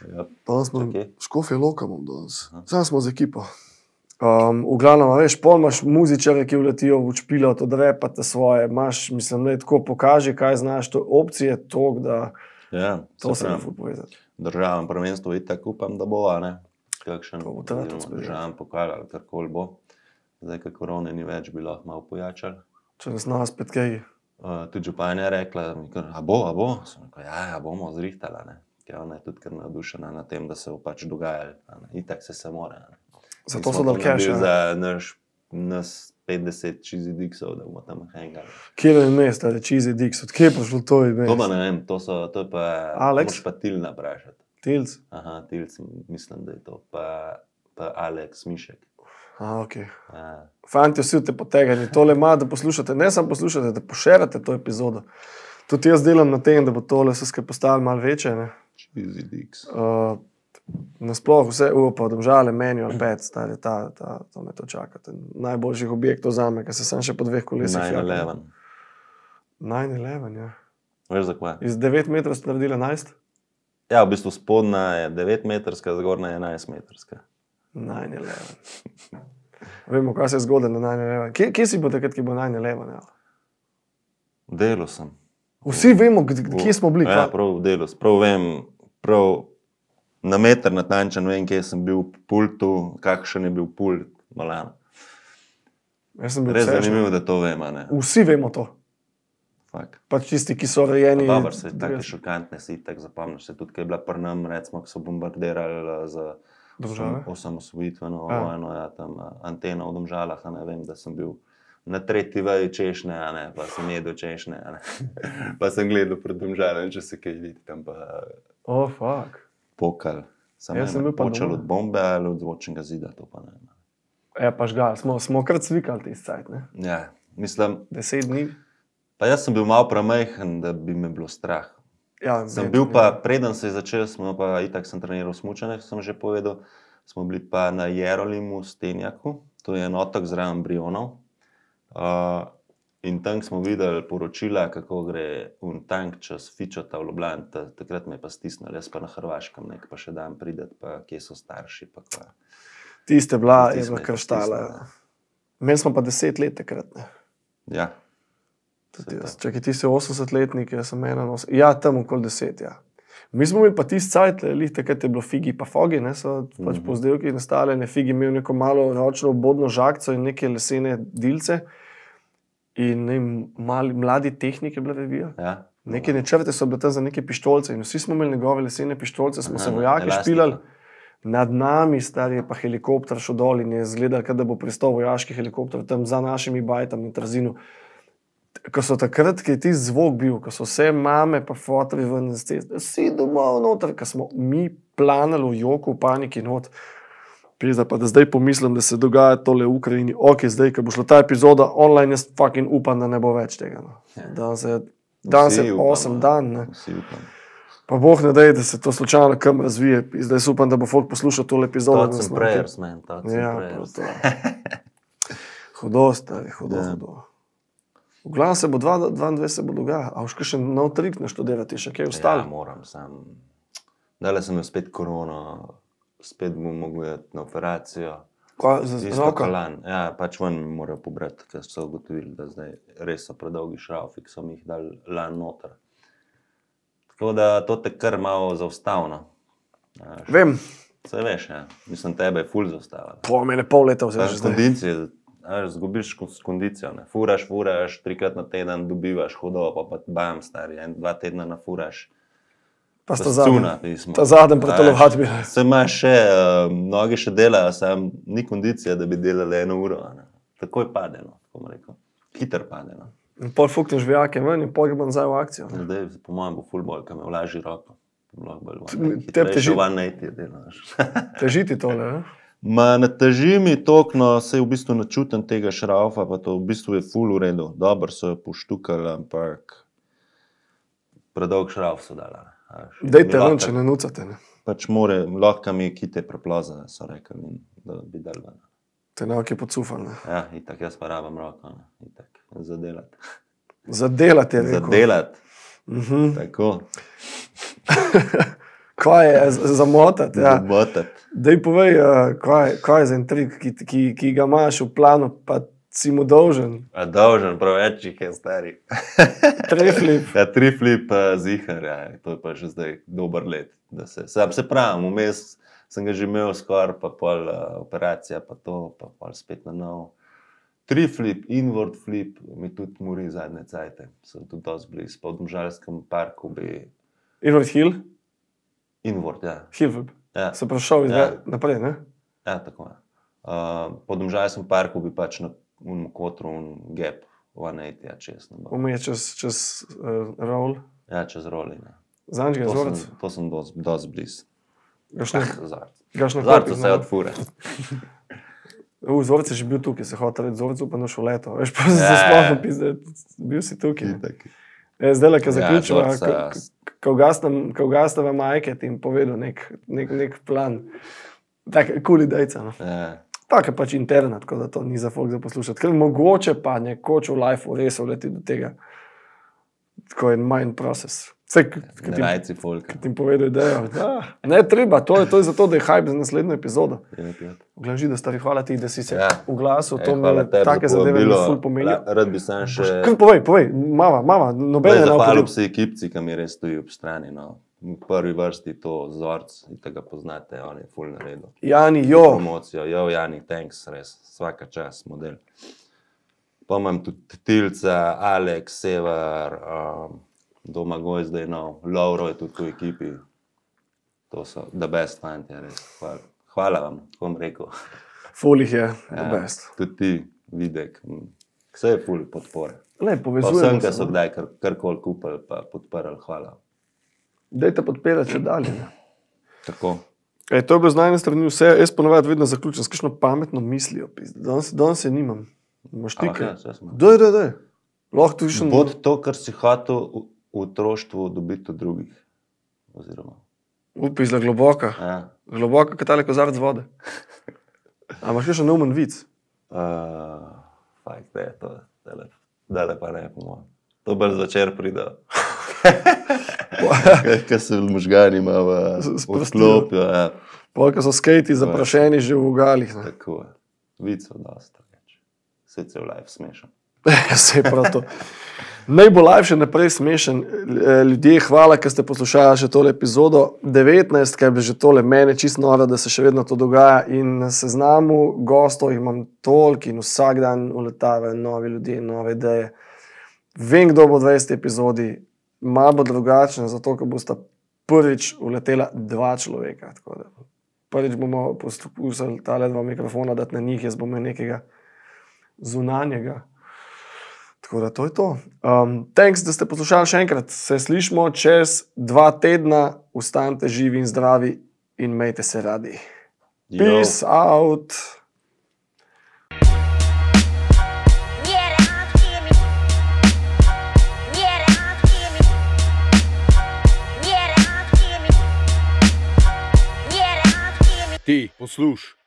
Ja. Danes smo Škofje Loka imam danes. Sam smo z ekipo. V glavnem, veš, pol imaš muzičare, ki vletijo v špilo, to drepate svoje, imaš, mislim, da tako pokaži, kaj znaš, to opcije tok, da... Ja, to se ne ful povezati. Državam prvenstvo itak upam, da bo, a ne? Kakšen državam pokal ali karkoli bo. Zdaj, ko korone ni več, bi lahko malo pojačali. Če nas nas spet kaj? Tudi županja je rekla, a bo? Sem rekel, ja, bomo zrihtala, ne? Ker ona je tudi kar navdušena na tem, da se bo pač dogajali. Itak se more, ne? Zato so dal cash, za nas 50 cheesy dicksov, da bomo tam hangali. Kje je mes, tale cheesy dicks? Od kje je prišlo to ime? To pa ne vem, to je pa... Alex? Moš pa Tilna vprašati. Tilc? Aha, Tilc, mislim, da je to. Pa Alex Mišek. Okej. Fanti, vsi te potegani. Tole ima, da poslušate, ne samo poslušate, da pošerate to epizodo. Tudi jaz delam na tem, da bo tole vse skupaj postalo malo večje, ne? Cheesy dicks. Nasploh vse pa Domžale, Manual Pet, stari, to me to čaka. Najboljših objektov zame, ker se sam še po 2 kolesih. 9/11. 9/11, ja. Veš za kva? Iz 9 metrov ste naredili 11? Ja, v bistvu spodna je 9-metrska, zgornja je 11-metrska. 9/11. Vemo, kaj se je zgodilo na 9/11. Kje si bo takrat, ki bo 9/11? Ja? V delu sem. Vsi vemo, kje smo bili. Ja, prav v delu. Prav vem, na meter natančen vem, kje sem bil v pultu, kakšen je bil pult, malano. Res zanimivo, da to vem, a ne? Vsi vemo to. Fak. Pač tisti, ki so rejeni... Dobar se, take šokantne si, tak zapomniš se tudi, kaj je bila pri nam, recimo, ko so bombardirali za osamosvojitveno vojno, ja, tam antena v Domžalah, a ne vem, da sem bil na 3. veji češnje, a ne, pa sem jedel češnje, a ne. Pa sem gledal pred Domžalem, če se kaj vidi tam pa... fuck. Pokal. Sem počel od bombe ali od zvočnega zida, to pa ne. Ja, pa žgal, smo krat svikali tisti cajt, ne? Ja, mislim... 10 dni. Pa jaz sem bil malo premajhen, da bi me bilo strah. Ja, sem bil pa, preden se je začel, smo pa itak sem treniral smučanje, sem že povedal, smo bili pa na Jerolimu, Stenjaku, to je en otok zraven Brionov. In tam smo videli poročila, kako gre un tank čez Fičota v Ljubljani, takrat me je pa stisnil, jaz pa na Hrvaškem, nek pa še dan prideti, pa kje so starši, pa kva. Tiste bila, je bila krštala. Imeli smo pa 10 let takrat, ne? Ja. Čakaj, ti si 80-letnik, jaz sem 81, ja, tam okoli 10, ja. Mi smo imeli pa tisti cajt, takrat je bilo figi pa fogi, ne, so pač po vzdelki nastavljene, figi imel neko malo ročno obodno žagco in neke lesene dilce. In mladi tehnike bila revija. Ja. Neke načrte so bile tam za neke pištolce in vsi smo imeli njegove lesene pištolce, smo se vojaki špilali. Nad nami, stari, je pa helikopter šel dol in je izgledal, da bo pristal vojaški helikopter tam za našimi bajtami na Trzinu. Ko so takrat, ki je ti zvok bil, ko so vse mame pa fotri ven z ceste, vsi domov noter, ko smo mi planali v joku, v paniki not. Pizda pa, da zdaj pomislim, da se dogaja tole v Ukrajini. Ok, zdaj, ko bo šla ta epizoda online, jaz fucking upam, da ne bo več tega. No. Danes je 8 dan. Ne. Vsi upamo. Pa Bog ne dej, da se to slučajno kam razvije. Zdaj upam, da bo folk poslušal tole epizodo. Thoughts and prayers, man. Thoughts and Ja, prayers. hudo, stari, hudo, Ja. hudo. V glavnem se bo 22 se bo dogajalo. A boš še nov trik naštudirati, še kaj Ja, ostalo? moram sam. Dale sem imel spet korono, spet bom mogel iti na operacijo. Z Isto roko? kolan. Ja, pač ven mi morajo pobrati, ker so ugotovili, da zdaj res so predolgi šraufi, ki so mi jih dali lan noter. Tako da to te kar malo zaustavno. Vem, Saj veš, ja. Mislim, tebe je ful zaustavljeno. po mene pol leta vzeti že zdaj. Kondicije, zgubiš kondicio, ne. Furaš, 3krat na teden dobivaš hudo, pa bam, stari, 2 tedna nafuraš. Pa sta zadnji. Cuna, pismo. Ta zadnji pretelovati bi. Se imaš še, noge še delajo, sam ni kondicija, da bi delali 1 uro. Ne. Takoj pade, no, tako bom rekel. Hiter pade, no. In pol fukneš vijake ven in pol gremo nazaj v akcijo. Ne. Zdaj, po mojem, bo ful bolj, ker me vlaži roko. Tebi teži- delaš. Težiti tole, ne? Ma ne teži mi toliko, no, saj v bistvu ne čutim tega šraufa, pa to v bistvu je ful v redu. Dobro so jo poštukali, ampak predolg šrauf so dala. Ne. Dejte ven, če ne nucate, ne? Pač more, lahko mi kite preploza, so rekli, da bi dal ven. Te nauke podsufal, ne? Ja, itak jaz pa rabam roko, ne, itak, zadelati. Zadelati je rekel. Zadelati, tako, Kaj je zamotati, ja. zabotati. Dej povej, kaj je za en trik, ki ga imaš v planu, pa si mu dolžen. A dolžen, prav več jih je stari. Treflip. Ja, 3 flip zihar, ja, to je pa že zdaj dober let. Da se pravim, vmes sem ga že imel skoraj, pa pol operacija, pa to, pa pol spet na novo. 3 flip, inward flip, mi tudi mori zadnje cajte. Sem tudi dosti blizu, po Domžalskem parku bi... Inward hill? Inward, ja. Hill flip. Ja, Se prašal Ja. naprej, ne? ja tako je. Po Domžalskem parku bi pač na kotru gap 180, ja, čez. Umije čez roll. Ja, čez roli, ne. Zanj ga je zorc. To sem dosti blizu. Gaš na Zarco korpik, se odfure. Zorc je že bil tukaj, se hotel reči zorc, pa nošel leto. Veš, pa se Ja. sploh pizde, bil si tukaj. Itak. Zdaj, ko zaključiva, Zorca- ko ugasneva majke, ti jim povedal nek plan. Tak, cool idejca, no. Ja. Tak je pač internet, tako da to ni za folk za poslušati. Ker mogoče pa nekoč v lifeu res uleti do tega. Tako je mind process. Vse, ki Ne rajci folka. ti jim povedal idejo. Da, ne treba, to je zato, da je hype za naslednjo epizodo. Gleži, da stari, hvala ti, da si se Ja. oglasil, to hvala me tebi take za zadeve mi povabilo. ful pomenijo. Rad bi sam še... Kar povej, mama, nobene ne Zahvalil opodim. bi se ekipci, ki mi res stoji ob strani. No. V prvi vrsti to Zorc, in tega poznate, on je ful naredil. Jani, jo, Promocijo, jo, Jani, thanks, res, vsaka čas, model. Pa imam tudi Tilca, Alex, Sever, Domagoj zdaj nov, Lauro je tudi v ekipi. To so the best fanti, res. Hvala vam, tako bom rekel. ful jih je, the best. Tudi ti, Videk, vse je ful podpore. Le, Pa vsem, povezujemo ki so se. No. kdaj karkoli kupili, pa podprli, hvala. Dajte podpirati še dalje. Ne. Tako. To je bilo z najne strani vse, jaz ponovadi vedno zaključim s kakšno pametno mislijo. Danes je nimam. Imaš ti kaj? Daj. Lahko tudi še Bod to, kar si hotel v otroštvu dobiti od drugih. Oziroma, upi za globoka. ja. Globoka, kot tale kozarec vode. A imaš še neumen vic? Fakt, je to, dale pa ne, po mojem. To bolj zvečer pride. Kaj se v možgani ima v Sprostijo. odklopijo, ja. Polka so skejti zaprašeni že v vogalih. Ne. Tako je. Vicov dosta več. Sicer v live smešen. Sej prav to. Naj bo live še naprej smešen. Ljudje, hvala, ker ste poslušali še tole epizodo 19, ker je že tole mene čisto noro, da se še vedno to dogaja. In na seznamu gostov jih imam toliko in vsak dan uletavajo novi ljudje, nove ideje. Vem, kdo bo v 20. epizodi, malo bo drugačen, zato ker bosta prvič uletela 2 človeka. Tako da prvič bomo poskusili tale 2 mikrofona dati na njih, jaz bom imel nekega zunanjega. Tako da to je to. Thanks, da ste poslušali še enkrat. Se slišimo čez 2 tedna. Ostanite živi in zdravi in imejte se radi. Peace out. Ti, poslušaj.